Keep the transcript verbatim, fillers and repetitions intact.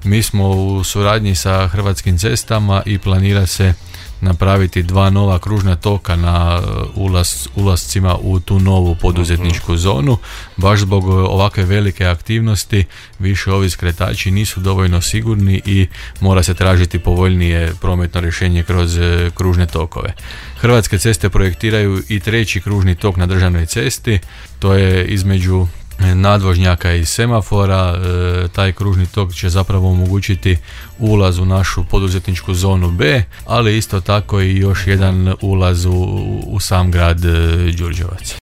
Mi smo u suradnji sa Hrvatskim cestama i planira se napraviti dva nova kružna toka na ulaz, ulazcima u tu novu poduzetničku zonu. Baš zbog ovakve velike aktivnosti više ovi skretači nisu dovoljno sigurni i mora se tražiti povoljnije prometno rješenje kroz kružne tokove. Hrvatske ceste projektiraju i treći kružni tok na državnoj cesti, to je između nadvožnjaka i semafora. E, taj kružni tok će zapravo omogućiti ulaz u našu poduzetničku zonu B, ali isto tako i još jedan ulaz u, u sam grad Đurđevac.